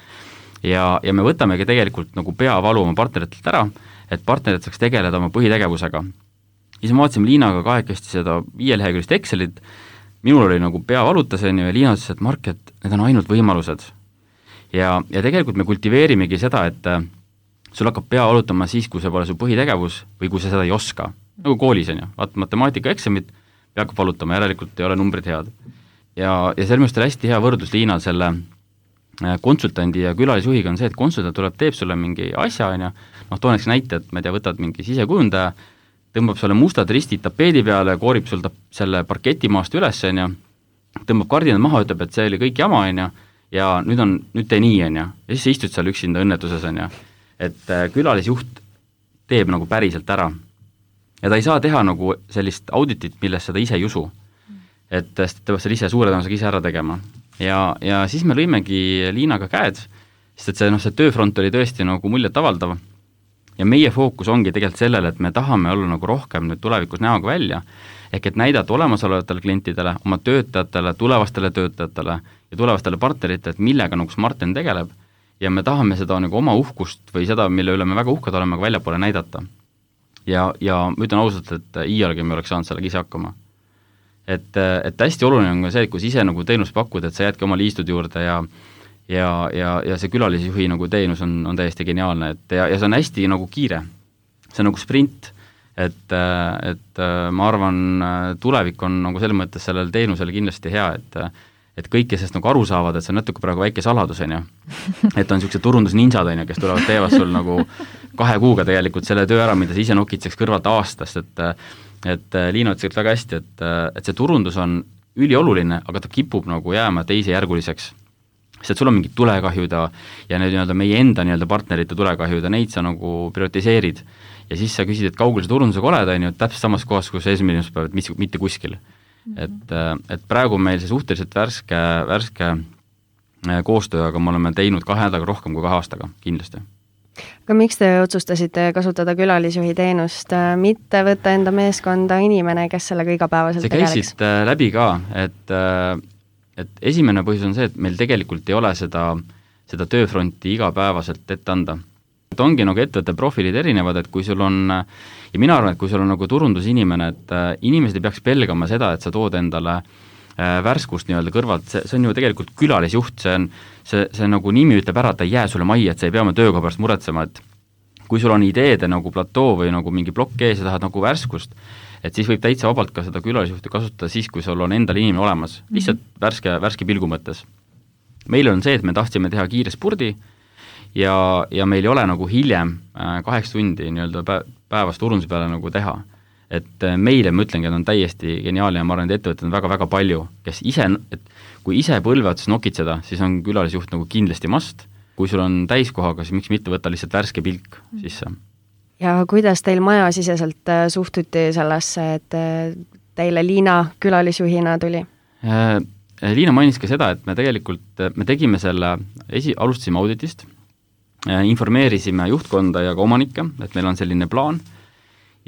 Ja, ja me võtamegi tegelikult nagu peavalu oma partneritelt ära, et partnerid saaks tegeleda oma põhitegevusega. Siis ma vaatasime Liinaga kahekesti seda viielehekülist Excelit, minul oli nagu pea valutaseni ja Liina ütles, et Mark, et need on ainult võimalused. Ja, ja tegelikult me kultiveerimegi seda, et sul hakkab pea valutama siis, kui see pole su põhitegevus või kui sa seda ei oska. Nagu koolis on ju, vaat matemaatika eksamit pea hakkab valutama, järelikult ei ole numbrid head. Ja, ja selle mõist oli hästi hea võrdlus Liinal selle konsultandi ja külalisjuhiga on see, et konsultant tuleb, teeb sulle mingi asja, on ju, noh, tooneks näite, et ma ei tea, võtad mingi sisekujundaja, tõmbab sulle mustad ristid tapeedi peale, koorib sul ta, selle parketimaast üles, on ju, tõmbab kardinad maha, ütleb, et see oli kõik jama, on ju, ja nüüd on, nüüd tee nii, on ju, ja siis sa istud seal üksinda õnnetuses, on ju, et külalisjuht teeb nagu päriselt ära. Ja ta ei saa teha nagu sellist auditit, milles seda ise ei usu. Et ta peab seal ise suure tõenäosusega ise ära tegema. ja, ja siis me lõimegi Liinaga käed, sest et see, noh, see tööfront oli tõesti nagu muljet avaldav ja meie fookus ongi tegelikult sellele, et me tahame olla nagu rohkem nüüd tulevikus näoga välja, ehk et näidata olemasolevatele klientidele, oma töötajatele, tulevastele töötajatele ja tulevastele partneritele, et millega nagu Smarten tegeleb ja me tahame seda nagu oma uhkust või seda, mille üle me väga uhked oleme, ka väljapoole näidata. Ja, ja ma ütlen ausalt, et iialgi me oleks saanud sellega ise hakkama. Et, et hästi oluline on ka see, et kui ise nagu teenust pakud, et sa jäädki oma liistud juurde ja ja, ja, ja see külalisjuhi nagu teenus on, on täiesti geniaalne, et ja, ja see on hästi nagu kiire. See on nagu sprint, et, et ma arvan, tulevik on nagu selles mõttes sellel teenusel kindlasti hea, et et kõik, kes sest nagu aru saavad, et see on natuke praegu väike saladus, on ju. Et on niisugused turundusninjad, on ju, kes tulevad teevad sul nagu kahe kuuga tegelikult selle töö ära, mida sa ise nokitseks kõrvalt aastast, et et Liina ütles väga hästi, et, et see turundus on ülioluline, aga ta kipub nagu jääma teisejärguliseks. Sest et sul on mingid tulekahjud ja, ja need nii-öelda meie enda nii-öelda partnerite tulekahjud ja neid sa nagu prioritiseerid. Ja siis sa küsid, et kaugel see turundusega oled, on ju, täpselt samas kohas, kus esimespäev, et mis, mitte kuskil. Mm-hmm. Et, et praegu meil see suhteliselt värske, värske koostöö, aga me oleme teinud kahe nädalaga rohkem kui kahe aastaga, kindlasti. Aga miks te otsustasite kasutada külalisjuhi teenust, mitte võtta enda meeskonda inimene, kes sellega igapäevaselt tegeleks? See käisid läbi ka, et, et esimene põhjus on see, et meil tegelikult ei ole seda, seda tööfronti igapäevaselt ette anda. Et ongi nagu ettevõtte profiilid erinevad, et kui sul on, ja mina arvan, et kui sul on nagu turundusinimene, et inimesed ei peaks pelgama seda, et sa tood endale värskust nii-öelda kõrvalt, see, see on ju tegelikult külalisjuht, see on, see, see nagu nimi ütleb ära, et ta ei jää sulle majja, et sa ei pea oma tööga pärast muretsema, et kui sul on ideede nagu platoo või nagu mingi plokk ees ja tahad nagu värskust, et siis võib täitsa vabalt ka seda külalisjuhti kasutada siis, kui sul on endal inimene olemas, lihtsalt mm-hmm. värske, värske pilgu mõttes. Meil on see, et me tahtsime teha kiire spurdi ja, ja meil ei ole nagu hiljem kaheks tundi nii-öelda päevast turunduse peale nagu teha. Et meile, ma ütlengi, et on täiesti geniaalne ja ma arvan, et ettevõtted on väga-väga palju, kes ise, et kui ise põlve otsas nokitseda, siis on külalisjuht nagu kindlasti must. Kui sul on täiskohaga, siis miks mitte võtta lihtsalt värske pilk sisse. Ja kuidas teil majasiseselt suhtuti sellesse, et teile Liina külalisjuhina tuli? Liina mainis ka seda, et me tegelikult, me tegime selle, esi, alustasime auditist, informeerisime juhtkonda ja ka omanikke, et meil on selline plaan.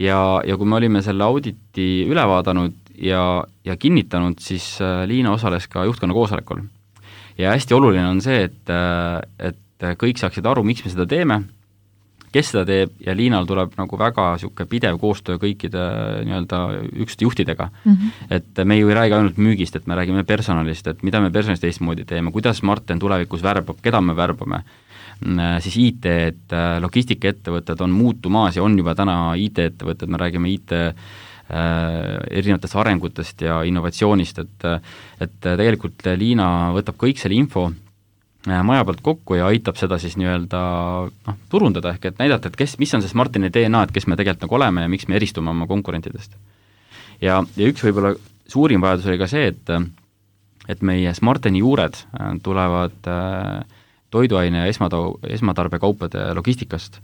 Ja, ja kui me olime selle auditi üle vaadanud ja, ja kinnitanud, siis Liina osales ka juhtkonna koosolekul. Ja hästi oluline on see, et, et kõik saaksid aru, miks me seda teeme, kes seda teeb ja Liinal tuleb nagu väga siuke pidev koostöö kõikide nii-öelda üksuste juhtidega. Mm-hmm. Et me ju ei räägi ainult müügist, et me räägime personalist, et mida me personalist teistmoodi teeme, kuidas Marten tulevikus värbab, keda me värbame. Siis I T, et logistikaettevõtted on muutumaas ja on juba täna I T-ettevõtted, me räägime I T äh, erinevatest arengutest ja innovatsioonist, et, et tegelikult Liina võtab kõik selle info maja pealt kokku ja aitab seda siis nii-öelda noh, turundada, ehk et näidata, et kes, mis on see Smartini D N A, et kes me tegelikult nagu oleme ja miks me eristume oma konkurentidest. Ja, ja üks võib-olla suurim vajadus oli ka see, et, et meie Smartini juured tulevad äh, toiduaine ja esmatau, esmatarbekaupade logistikast.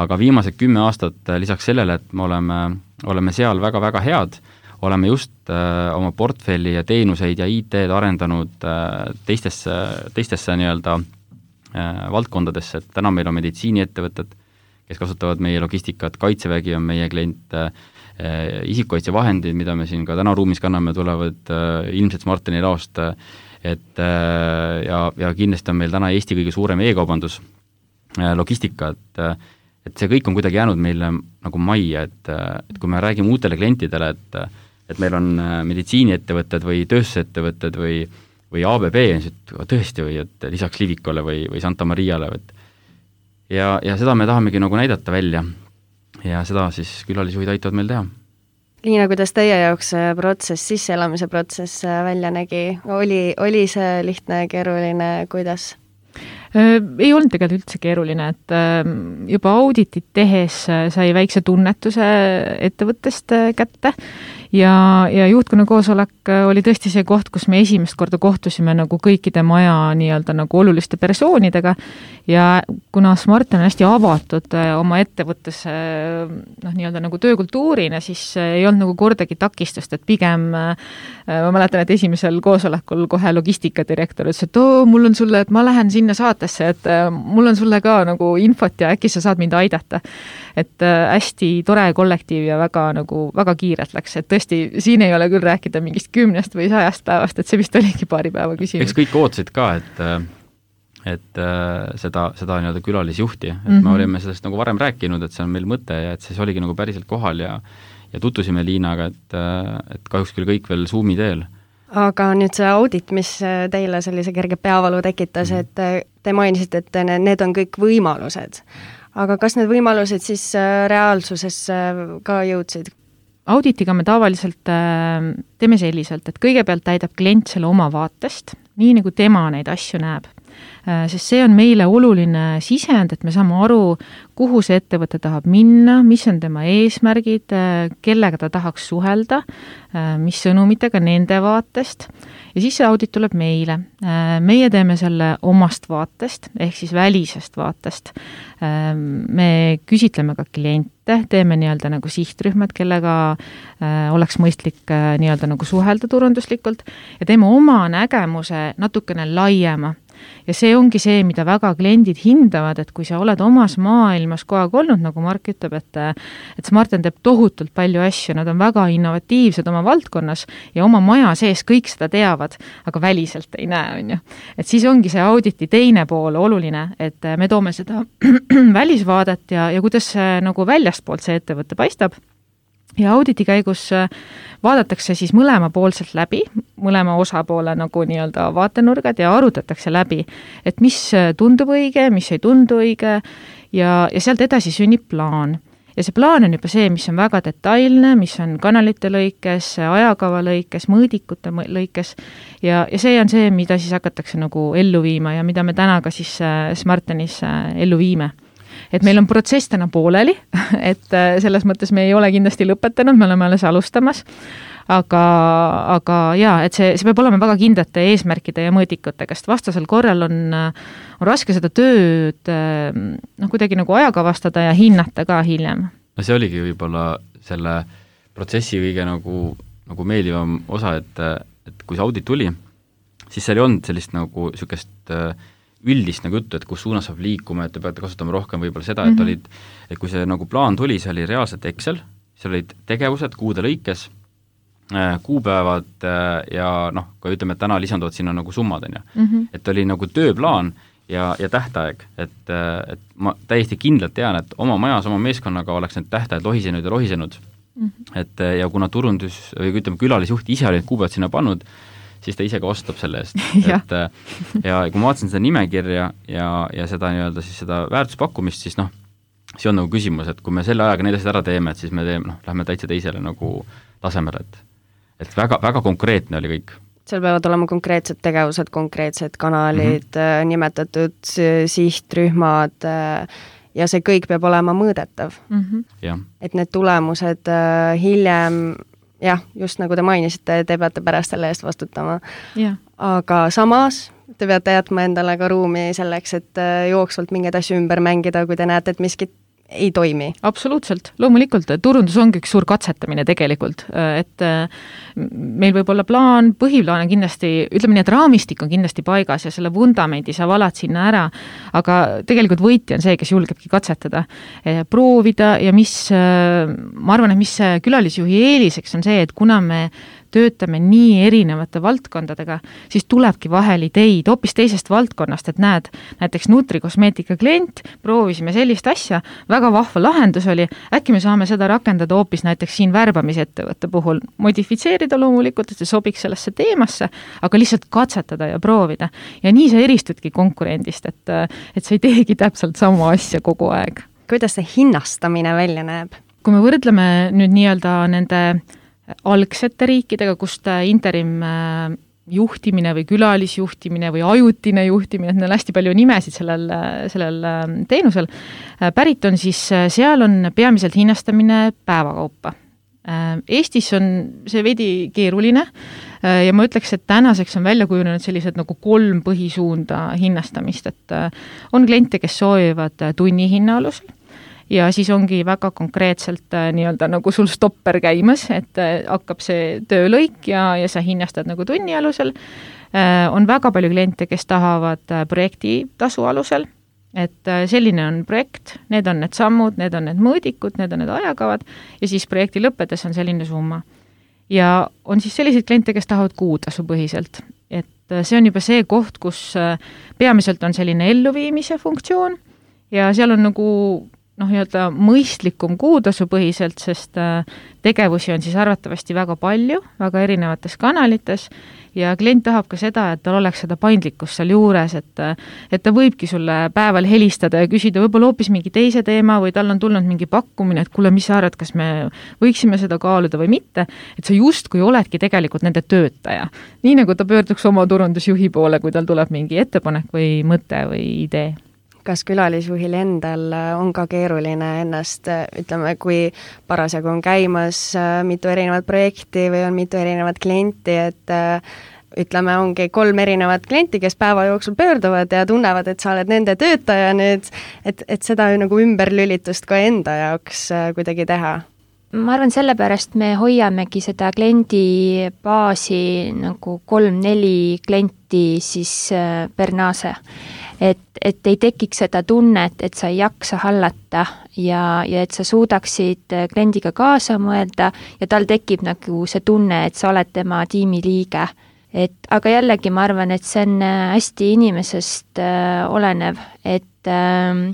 Aga viimased kümme aastat lisaks sellele, et me oleme, oleme seal väga-väga head, oleme just äh, oma portfelli ja teenuseid ja I T-d arendanud äh, teistesse, teistesse nii-öelda äh, valdkondadesse, et täna meil on meditsiiniettevõtted, kes kasutavad meie logistikat, Kaitsevägi on meie klient, äh, isikukaitsevahendid, mida me siin ka täna ruumis kanname, tulevad äh, ilmselt Smartini laost äh, et ja, ja kindlasti on meil täna Eesti kõige suurem e-kaubandus logistika, et, et see kõik on kuidagi jäänud meile nagu majja, et, et kui me räägime uutele klientidele, et, et meil on meditsiiniettevõtted või tööstusettevõtted või, või A B B, et tõesti või et lisaks Livikole või, või Santa Mariale, et ja, ja seda me tahamegi nagu näidata välja ja seda siis külalisjuhid aitavad meil teha. Liina, kuidas teie jaoks protsess, sisseelamise protsess välja nägi? Oli, oli see lihtne, keeruline, kuidas? Ei olnud tegelikult üldse keeruline, et juba auditit tehes sai väikse tunnetuse ettevõttest kätte ja, ja juhtkonna koosolek oli tõesti see koht, kus me esimest korda kohtusime nagu kõikide maja nii-öelda nagu oluliste persoonidega ja kuna Smart on hästi avatud oma ettevõttes noh, nii-öelda nagu töökultuurina, siis ei olnud nagu kordagi takistust, et pigem ma mäletan, et esimesel koosolekul kohe logistikadirektor ütles, et oo, mul on sulle, et ma lähen sinna saatesse, et mul on sulle ka nagu infot ja äkki sa saad mind aidata. Et hästi tore kollektiiv ja väga, nagu, väga kiirelt läks, et tõesti, siin ei ole küll rääkida mingist kümnest või sajast päevast, et see vist oligi paari päeva küsimus. Eks kõik ootasid ka, et, et seda, seda nii-öelda külalisjuhti, et mm -hmm. me olime sellest nagu varem rääkinud, et see on meil mõte ja et siis oligi nagu päriselt kohal ja, ja tutvusime Liinaga, et, et kahjuks küll kõik veel Zoomi teel. Aga nüüd see audit, mis teile sellise kerge peavalu tekitas, et te mainisite, et need on kõik võimalused. Aga kas need võimalused siis reaalsuses ka jõudsid? Auditiga me tavaliselt teeme selliselt, et kõigepealt täidab klient selle oma vaatest, nii nagu tema neid asju näeb. Sest see on meile oluline sisend, et me saame aru, kuhu see ettevõte tahab minna, mis on tema eesmärgid, kellega ta tahaks suhelda, mis sõnumitega nende vaatest ja siis see audit tuleb meile. Meie teeme selle omast vaatest, ehk siis välisest vaatest. Me küsitleme ka kliente, teeme nii-öelda nagu sihtrühmad, kellega oleks mõistlik nii-öelda nagu suhelda turunduslikult ja teeme oma nägemuse natukene laiema. Ja see ongi see, mida väga kliendid hindavad, et kui sa oled omas maailmas kogu aeg olnud, nagu Mark ütleb, et, et Smarten teeb tohutult palju asju, nad on väga innovatiivsed oma valdkonnas ja oma maja sees kõik seda teavad, aga väliselt ei näe, on ju. Et siis ongi see auditi teine pool oluline, et me toome seda välisvaadet ja, ja kuidas see, nagu väljastpoolt see ettevõte paistab. Ja auditi käigus vaadatakse siis mõlemapoolselt läbi, mõlema osapoole nagu nii-öelda vaatenurgad ja arutatakse läbi, et mis tundub õige, mis ei tundu õige ja, ja sealt edasi sünnib plaan. Ja see plaan on juba see, mis on väga detailne, mis on kanalite lõikes, ajakava lõikes, mõõdikute lõikes ja, ja see on see, mida siis hakatakse nagu ellu viima ja mida me täna ka siis Smartenis ellu viime. Et meil on protsess täna pooleli, et selles mõttes me ei ole kindlasti lõpetanud, me oleme alles alustamas, aga, aga jaa, et see, see peab olema väga kindlate eesmärkide ja mõõdikutega, sest vastasel korral on, on raske seda tööd noh, kuidagi nagu ajakavastada ja hinnata ka hiljem. No see oligi võib-olla selle protsessi kõige nagu, nagu meeldivam osa, et, et kui see audit tuli, siis seal ei olnud sellist nagu sükest üldist nagu juttu, et kus suunas saab liikuma, et te peate kasutama rohkem võib-olla seda, et mm -hmm. olid, et kui see nagu plaan tuli, see oli reaalselt Excel, seal olid tegevused kuude lõikes, kuupäevad ja noh, kui ütleme, et täna lisanduvad sinna nagu summad, on ju. Mm -hmm. Et oli nagu tööplaan ja, ja tähtaeg, et, et ma täiesti kindlalt tean, et oma majas, oma meeskonnaga oleks need tähtajad lohisenud ja lohisenud. Mm -hmm. Et ja kuna turundus, või ütleme, külalisjuht ise oli need kuupäevad sinna pannud, siis ta ise ka ostab selle eest. et ja kui ma vaatasin seda nimekirja ja, ja seda nii-öelda siis seda väärtuspakkumist, siis noh, see on nagu küsimus, et kui me selle ajaga need asjad ära teeme, et siis me teeme, noh, lähme täitsa teisele nagu tasemele, et et väga, väga konkreetne oli kõik. Seal peavad olema konkreetsed tegevused, konkreetsed kanalid mm, -hmm. nimetatud sihtrühmad ja see kõik peab olema mõõdetav. Mm -hmm. Ja. Et need tulemused hiljem jah, just nagu te mainisite, te peate pärast selle eest vastutama. Ja. Aga samas te peate jätma endale ka ruumi selleks, et jooksvalt mingeid asju ümber mängida, kui te näete, et miskit ei toimi. Absoluutselt, loomulikult, turundus ongi üks suur katsetamine tegelikult, et meil võib olla plaan, põhiplaan on kindlasti, ütleme nii, et raamistik on kindlasti paigas ja selle vundamendi sa valad sinna ära, aga tegelikult võitja on see, kes julgebki katsetada, proovida ja mis, ma arvan, et mis külalisjuhi eeliseks on see, et kuna me töötame nii erinevate valdkondadega, siis tulebki vahel ideid hoopis teisest valdkonnast, et näed, näiteks nutrikosmeetika klient, proovisime sellist asja, väga vahva lahendus oli, äkki me saame seda rakendada hoopis näiteks siin värbamisettevõtte puhul, modifitseerida loomulikult, et see sobiks sellesse teemasse, aga lihtsalt katsetada ja proovida. Ja nii sa eristudki konkurendist, et, et sa ei teegi täpselt sama asja kogu aeg. Kuidas see hinnastamine välja näeb? Kui me võrdleme nüüd nii-öelda nende algsete riikidega, kust interim juhtimine või külalisjuhtimine või ajutine juhtimine, et neil on hästi palju nimesid sellel, sellel teenusel, pärit on siis, seal on peamiselt hinnastamine päevakaupa. Eestis on see veidi keeruline ja ma ütleks, et tänaseks on välja kujunenud sellised nagu kolm põhisuunda hinnastamist, et on kliente, kes soovivad tunni hinna alusel ja siis ongi väga konkreetselt nii-öelda nagu sul stopper käimas, et hakkab see töölõik ja, ja sa hinnastad nagu tunni alusel. On väga palju kliente, kes tahavad projekti tasu alusel, et selline on projekt, need on need sammud, need on need mõõdikud, need on need ajakavad ja siis projekti lõppedes on selline summa. Ja on siis selliseid kliente, kes tahavad kuutasu põhiselt, et see on juba see koht, kus peamiselt on selline elluviimise funktsioon ja seal on nagu noh, nii-öelda mõistlikum kuutasu põhiselt, sest tegevusi on siis arvatavasti väga palju, väga erinevates kanalites ja klient tahab ka seda, et tal oleks seda paindlikkust seal juures, et, et ta võibki sulle päeval helistada ja küsida võib-olla hoopis mingi teise teema või tal on tulnud mingi pakkumine, et kuule, mis sa arvad, kas me võiksime seda kaaluda või mitte, et sa justkui oledki tegelikult nende töötaja. Nii nagu ta pöörduks oma turundusjuhi poole, kui tal tuleb mingi ettepanek või mõte või idee. Kas külalisjuhil endal on ka keeruline ennast, ütleme, kui parasjagu on käimas mitu erinevat projekti või on mitu erinevat klienti, et ütleme, ongi kolm erinevat klienti, kes päeva jooksul pöörduvad ja tunnevad, et sa oled nende töötaja nüüd, et, et seda nagu ümberlülitust ka enda jaoks kuidagi teha? Ma arvan, sellepärast me hoiamegi seda kliendi baasi nagu kolm-neli klienti siis per nase. Et, et ei tekiks seda tunnet, et sa ei jaksa hallata ja, ja et sa suudaksid kliendiga kaasa mõelda ja tal tekib nagu see tunne, et sa oled tema tiimi liige. Et, aga jällegi ma arvan, et see on hästi inimesest äh, olenev, et äh,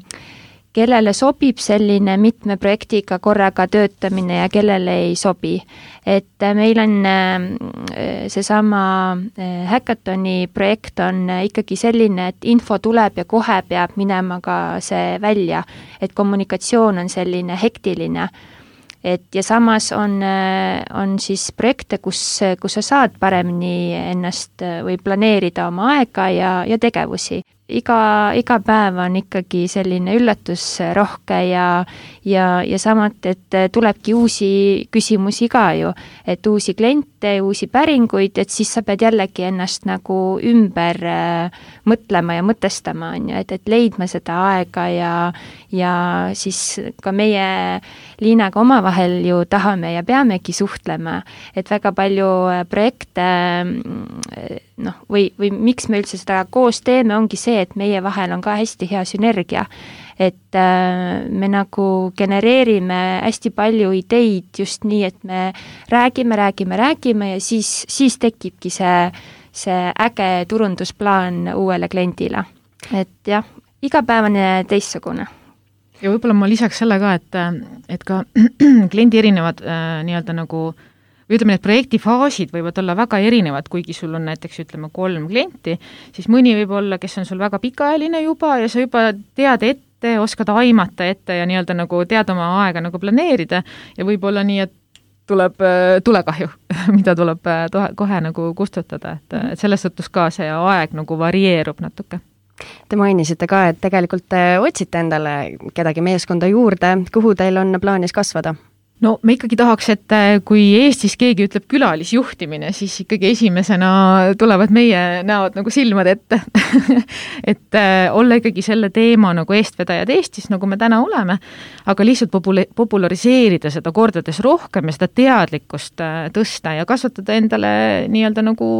kellele sobib selline mitme projektiga korraga töötamine ja kellele ei sobi. Et meil on seesama Hackathoni projekt on ikkagi selline, et info tuleb ja kohe peab minema ka see välja, et kommunikatsioon on selline hektiline. Et ja samas on, on siis projekte, kus, kus sa saad paremini ennast või planeerida oma aega ja, ja tegevusi. Iga, iga päev on ikkagi selline üllatusrohke ja, ja, ja samat, et tulebki uusi küsimusi ka ju, et uusi kliente, uusi päringuid, et siis sa pead jällegi ennast nagu ümber äh, mõtlema ja mõtestama, on ju, et, et leidma seda aega ja, ja siis ka meie Liinaga omavahel ju tahame ja peamegi suhtlema, et väga palju projekte noh, või, või miks me üldse seda koos teeme, ongi see, et meie vahel on ka hästi hea sünergia, et äh, me nagu genereerime hästi palju ideid just nii, et me räägime, räägime, räägime ja siis, siis tekibki see, see äge turundusplaan uuele kliendile. Et jah, igapäevane teistsugune. Ja võib-olla ma lisaks selle ka, et, et ka kliendi erinevad äh, nii-öelda nagu või ütleme, need projektifaasid võivad olla väga erinevad, kuigi sul on näiteks, ütleme, kolm klienti, siis mõni võib olla, kes on sul väga pikaajaline juba ja sa juba tead ette, oskad aimata ette ja nii-öelda nagu tead oma aega nagu planeerida ja võib olla nii, et tuleb tulekahju, mida tuleb kohe nagu kustutada, et, et selles suhtes ka see aeg nagu varieerub natuke. Te mainisite ka, et tegelikult te otsite endale kedagi meeskonda juurde, kuhu teil on plaanis kasvada? No me ikkagi tahaks, et kui Eestis keegi ütleb külalisjuhtimine, siis ikkagi esimesena tulevad meie näod nagu silmad ette. et olla ikkagi selle teema nagu eestvedajad Eestis, nagu me täna oleme, aga lihtsalt popula- populariseerida seda kordades rohkem ja seda teadlikkust tõsta ja kasvatada endale nii-öelda nagu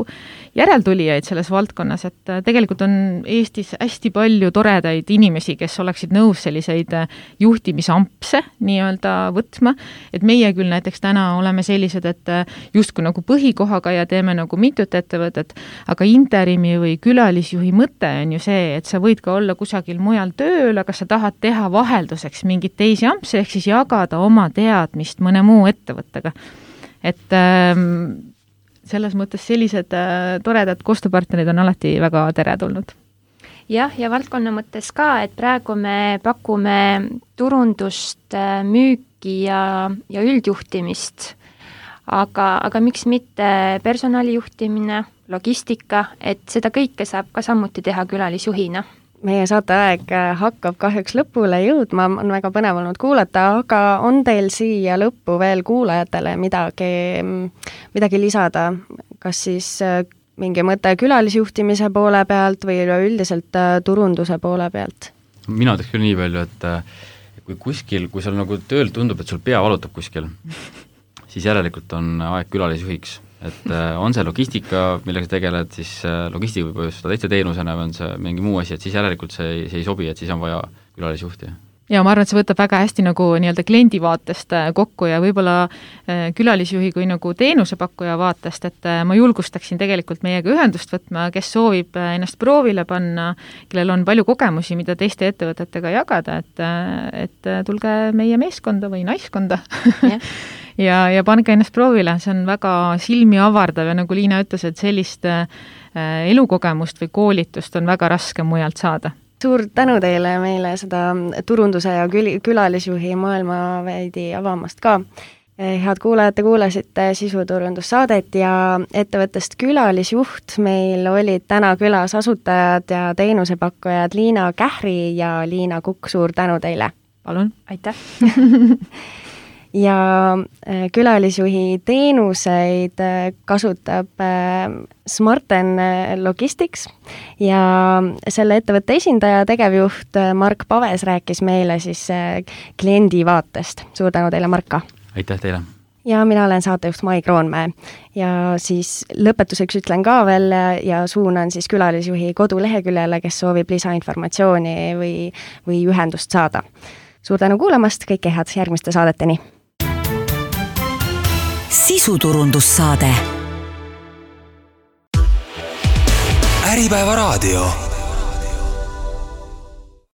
järeltulijaid selles valdkonnas, et tegelikult on Eestis hästi palju toredaid inimesi, kes oleksid nõus selliseid juhtimisampse nii-öelda võtma. Et meie küll näiteks täna oleme sellised, et justkui nagu põhikohaga ja teeme nagu mitut ettevõtet, aga interimi või külalisjuhi mõte on ju see, et sa võid ka olla kusagil mujal tööl, aga sa tahad teha vahelduseks mingit teisi ampse, ehk siis jagada oma teadmist mõne muu ettevõttega. Et ähm, selles mõttes sellised äh, toredad koostööpartnerid on alati väga teretulnud. Jah, ja valdkonna mõttes ka, et praegu me pakume turundust, müüki ja, ja üldjuhtimist, aga, aga miks mitte personalijuhtimine, logistika, et seda kõike saab ka samuti teha külalisjuhina. meie saateaeg hakkab kahjuks lõpule jõudma, on väga põnev olnud kuulata, aga on teil siia lõppu veel kuulajatele midagi, midagi lisada, kas siis mingi mõte külalisjuhtimise poole pealt või üleüldiselt turunduse poole pealt? Mina ütleks küll nii palju, et kui kuskil, kui sul nagu tööl tundub, et sul pea valutab kuskil, siis järelikult on aeg külalisjuhiks. Et on see logistika, millega sa tegeled, siis logistika võib põhjustada teiste teenusena või on see mingi muu asi, et siis järelikult see, see ei sobi, et siis on vaja külalisjuhti. Ja ma arvan, et see võtab väga hästi nagu nii-öelda kliendi vaatest kokku ja võib-olla külalisjuhi kui nagu teenusepakkuja vaatest, et ma julgustaksin tegelikult meiega ühendust võtma, kes soovib ennast proovile panna, kellel on palju kogemusi, mida teiste ettevõtetega jagada, et, et tulge meie meeskonda või naiskonda yeah. ja, ja pange ennast proovile, see on väga silmi avardav ja nagu Liina ütles, et sellist elukogemust või koolitust on väga raske mujalt saada. Suur tänu teile meile seda turunduse ja kül- külalisjuhi maailma veidi avamast ka. Head kuulajad, te kuulasite sisuturundussaadet ja ettevõttest külalisjuht. Meil olid täna külas asutajad ja teenusepakkujad Liina Kähri ja Liina Kukk. Suur tänu teile! Palun! Aitäh! ja külalisjuhi teenuseid kasutab Smarten Logistics ja selle ettevõtte esindaja, tegevjuht Mark Paves rääkis meile siis kliendi vaatest. Suur tänu teile, Marka! Aitäh teile! Ja mina olen saatejuht Mai Kroonmäe ja siis lõpetuseks ütlen ka veel ja suunan siis külalisjuhi koduleheküljele, kes soovib lisainformatsiooni või, või ühendust saada. Suur tänu kuulamast, kõike head järgmiste saadeteni! Sisuturundussaade. Äripäeva raadio.